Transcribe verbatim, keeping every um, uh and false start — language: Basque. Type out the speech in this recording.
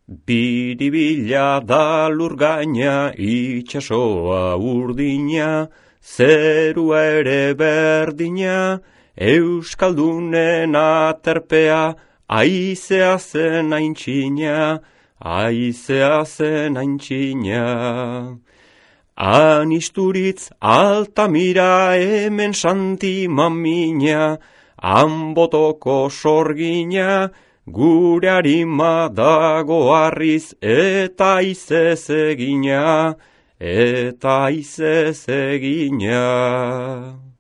Biribila da lurgaina, itxasoa urdina, zerua ere berdina, euskaldunen aterpea, aizea zen aintzina, aizea zen aintzina. Anisturitz Altamira hemen Santi mamina, Anbotoko sorgina, gure harima dago harriz eta aizez egina, eta aizez egina.